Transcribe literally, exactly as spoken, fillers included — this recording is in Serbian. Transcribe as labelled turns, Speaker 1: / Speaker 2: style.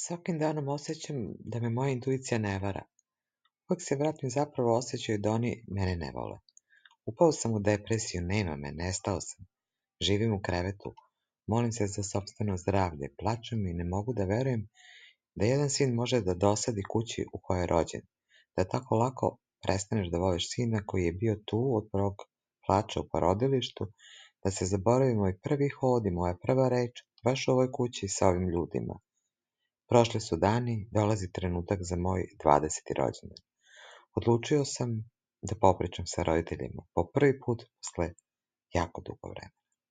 Speaker 1: Svakim danom osjećam da me moja intuicija ne vara. Uvijek se vratim zapravo osjećaju da oni mene ne vole. Upao sam u depresiju, nema me, nestao sam. Živim u krevetu, molim se za sopstveno zdravlje, plačem i ne mogu da verujem da jedan sin može da dosadi kući u kojoj je rođen, da tako lako prestaneš da voliš sina koji je bio tu od prvog plača u porodilištu, da se zaboravi moj prvi hod i moja prva reč baš u ovoj kući sa ovim ljudima. Prošli su dani, dolazi trenutak za moj dvadeseti rođendan. Odlučio sam da popričam sa roditeljima po prvi put posle jako dugo vremena.